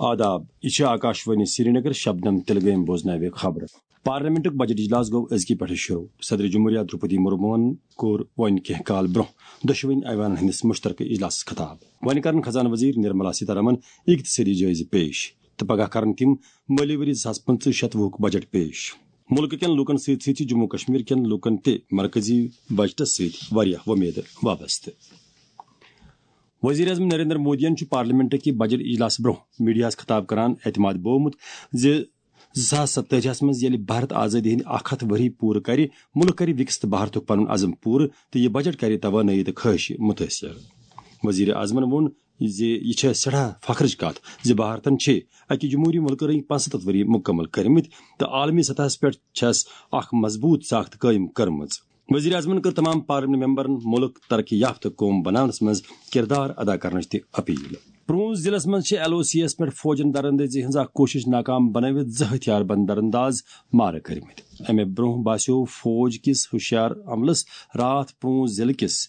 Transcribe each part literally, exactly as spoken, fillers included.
آداب، یہِ چھِ آکاشوانی سرینگر، شبنم تلگٲمۍ بوزناوِ خبرٕ۔ پارلیمنٹُک بجٹ اجلاس گوٚو أزکہِ پٮ۪ٹھٕ شروع۔ صدر جمہوریہ درٛوپدی مرموہن کوٚر وۄنۍ کینٛہہ کال برٛونٛہہ دۄشوٕنی ایوانن ہٕنٛدِس مشترکہٕ اجلاسس خطاب۔ وۄنۍ کرن خزانہٕ وزیر نرملا سیتارمن اقتصٲدی جٲیزٕ پیش تہٕ پگاہ کرن تِم مٲلی ؤری زٕ ساس پٕنٛژٕہ شتوُہُک بجٹ پیش۔ مُلکہٕ کٮ۪ن لوٗکن سۭتۍ سۭتۍ چھِ جموں کشمیر کٮ۪ن لوٗکن تہِ مرکزی بجٹس سۭتۍ واریاہ وۄمیدٕ وابستہٕ۔ وزیر اعظم نریندر مودیَن چھُ پارلیمنٹ کہِ بجٹ اجلاس برٛونٛہہ میڈیاہَس خطاب کران اعتماد بوومُت زِ زٕ ساس ستٲجی ہَس منٛز ییٚلہِ بھارت آزٲدی ہٕنٛدۍ اکھ ہتھ ؤری پوٗرٕ کرِ، مُلک کرِ وِکسِت بھارتُک پنُن عزم پوٗرٕ تہٕ یہِ بجٹ کرِ توانٲیی تہٕ خٲہشہِ مُتٲثر۔ وزیر اعظمَن ووٚن زِ یہِ چھےٚ سٮ۪ٹھاہ فخرٕچ کتھ زِ بھارتن چھِ اکہِ جمہوری مُلکہٕ رٔنگۍ پانٛژستتھ ؤری مُکمل کٔرمٕتۍ تہٕ عالمی سطحس پٮ۪ٹھ چھَس اکھ مضبوٗط ساخت قٲیِم کٔرمٕژ۔ وزیر اعظمن کٔر تمام پارلیمنٹ ممبرن مُلک ترقی یافتہٕ قوم بناونس منٛز کردار ادا کرنٕچ تہِ اپیل۔ پرونز ضلعس منٛز چھِ ایل او سی یَس پٮ۪ٹھ فوجن دراندازی ہٕنٛز اکھ کوٗشش ناکام بنٲوِتھ زٕ ہتھیار بند درانداز مارٕ کٔرمٕتۍ۔ امہِ برونٛہہ باسیو فوج کِس ہوشیار عملس راتھ پرونز ضلعہٕ کِس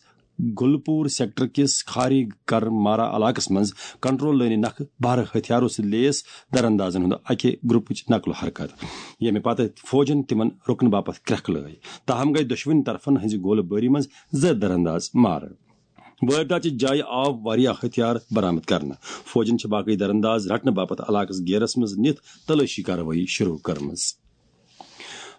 گُلپوٗر سیکٹر کِس کھاری کر مارا علاقس منٛز کنٹرول لٲنہِ نکھٕ بارٕ ہتھیارو سۭتۍ لیس دراندازن ہُنٛد اکہِ گروپٕچ نقل و حرکت، ییٚمہِ پتہٕ فوجن تِمن رُکنہٕ باپتھ کرٛکھ لٲے۔ تاہم گٔیہِ دۄشوٕنی طرفن ہٕنٛزِ گولہٕ بٲری منٛز زٕ درانداز مارٕ۔ وٲرۍداتچہِ جایہِ آو واریاہ ہتھیار برآمد کرنہٕ۔ فوجن چھِ باقٕے درانداز رٹنہٕ باپتھ علاقس گیرس منٛز نِتھ تلٲشی کاروٲیی شروع کٔرمٕژ۔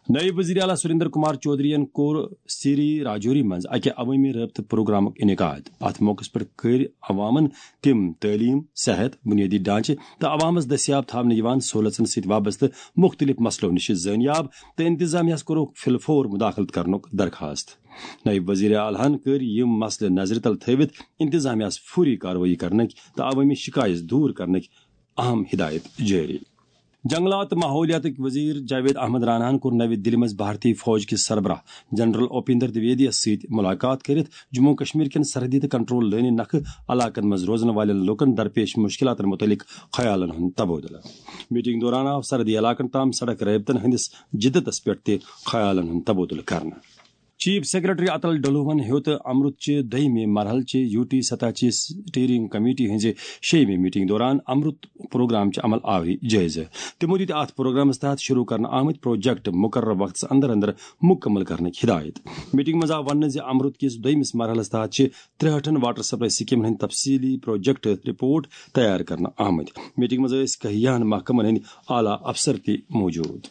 نٲیِب وزیر اعلیٰ سریندر کمار چودھرین کوٚر سری راجوری منٛز اکہِ عوٲمی رٲبطہٕ پروگرامُک انعقاد۔ اتھ موقعس پٮ۪ٹھ کٔرۍ عوامن تِم تعلیٖم، صحت، بنیٲدی ڈھانچہٕ تہٕ عوامس دٔستیاب تھاونہٕ یِوان سہولژن سۭتۍ وابستہٕ مُختٔلِف مسلو نِش زٲنیاب تہٕ انتظامیہس کوٚرُکھ پھِلہٕ پھور مداخلت کرنُک درخواست۔ نٲیِب وزیر اعلیٰ ہن کٔرۍ یِم مسلہٕ نظرِ تل تھٲوِتھ انتظامیہس فوری کاروٲیی کرنٕکۍ تہٕ عوٲمی شکایژ دوٗر کرنٕکۍ اہم ہدایت جٲری۔ جنگلات تہٕ ماحولیاتٕکۍ وزیر جاوید احمد راناہن کوٚر نوِ دِلہِ منٛز بھارتی فوج کِس سربراہ جنرل اوپیندر دویدیَس سۭتۍ ملاقات کٔرِتھ جموں و کشمیر کٮ۪ن سرحدی تہٕ کنٹرول لٲنہِ نکھٕ علاقن منٛز روزن والٮ۪ن لوٗکن درپیش مشکلاتن مُتعلق خیالن ہُنٛد تبادلہٕ۔ میٹنگ دوران آو سرحدی علاقن تام سڑک رٲبطن ہٕنٛدِس جدتس پٮ۪ٹھ تہِ خیالن ہُنٛد تبادلہٕ کرنہٕ۔ چیف سیکرٹری اتل ڈلوہن ہیوٚت امرت چہِ دوٚیمہِ مرحلہٕ چہِ یو ٹی سطح چہِ سٹیئرنگ کمیٹی ہٕنٛزِ شیٚیمہِ میٹنگ دوران امرت پروگرام چہِ عمل آوری جٲیزٕ۔ تِمو دِتۍ اتھ پروگرامس تحت شروع کرنہٕ آمٕتۍ پروجیکٹ مقررٕ وقتس اندر اندر مکمل کرنٕکۍ ہدایت۔ میٹنگ منٛز آو وننہٕ زِ امرت کِس دوٚیمِس مرحلس تحت چھِ ترٛہٲٹھن واٹر سپلائی سکیمن ہٕنٛدۍ تفصیلی پروجیکٹ رپورٹ تیار کرنہٕ آمٕتۍ۔ میٹنگ منٛز ٲسۍ کہیاہن محکمن ہٕنٛدۍ اعلیٰ افسر تہِ موجود۔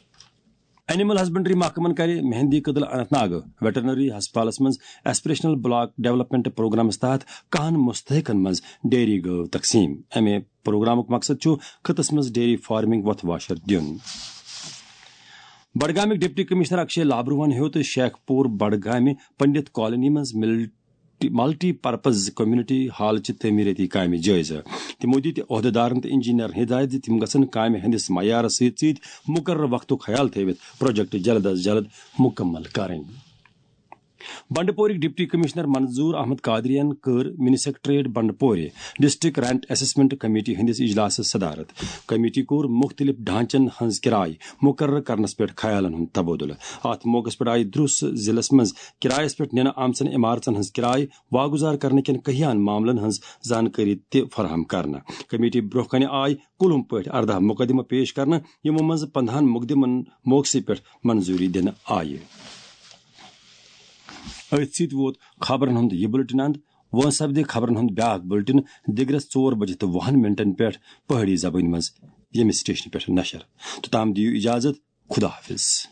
اینیمل ہسبنڈری محکمن کرِ مہندی کدل اننت ناگ ویٹرنری ہسپتالس منٛز ایسپریشنل بلاک ڈیولپمنٹ پروگرامس تحت کاہن مستحقن منٛز ڈیری گٲو تقسیم۔ امہِ پروگرامُک مقصد چھُ خطس منٛز ڈیری فارمنگ وۄتھٕ واشر دیُن۔ بڈگامٕکۍ ڈپٹی کمشنر اکشے لابروہن ہیوٚت شیخ پور بڈگامہِ پنڈت کالونی منٛز مل ملٹی پرپز کمیونٹی ہال چہِ تعمیرٲتی کامہِ جٲیزٕ۔ تِمو دِتۍ عہدیدارن تہٕ انجینئرن ہدایت زِ تِم گژھن کامہِ ہٕنٛدِس معیارس سۭتۍ سۭتۍ مقررٕ وقتُک خیال تھٲوِتھ پروجیکٹ جلد از جلد مکمل کرٕنۍ۔ بنڈپورٕکۍ ڈپٹی کمشنر منظور احمد قادریَن کٔر منی سیکریٹریٹ بنڈپورِ ڈسٹرکٹ رینٹ اسسمنٹ کمیٹی ہٕنٛدِس اجلاسس صدارت۔ کمیٹی کوٚر مُختٔلِف ڈھانچن ہٕنٛز کرایہِ مقرر کرنس پٮ۪ٹھ خیالن ہُنٛد تبادلہٕ۔ اتھ موقعس پٮ۪ٹھ آیہِ درُس ضلعس منٛز کرایس پٮ۪ٹھ نِنہٕ آمژن عمارژن ہٕنٛز کراے واگُزار کرنہٕ کٮ۪ن کہیاہن معاملن ہٕنٛز زانکٲری تہِ فراہم کرنہٕ۔ کمیٹی برونٛہہ کنہِ آیہِ کُلُم پٲٹھۍ ارداہ مقدمہٕ پیش کرنہٕ، یِمو منٛز پندہن مقدمن موقعسٕے پٮ۪ٹھ منظوٗری دِنہٕ آیہِ۔ أتھۍ سۭتۍ ووت خبرن ہُنٛد یہِ بُلٹن اند۔ وۄنۍ سپدِ خبرن ہُنٛد بیاکھ بُلٹن دِگرس ژور بجہِ تہٕ وُہن منٹن پٮ۪ٹھ پہٲڑی زبٲنۍ منٛز ییٚمہِ سٹیشنہٕ پٮ۪ٹھ نشر۔ توٚتام دِیِو اجازت، خدا حافظ۔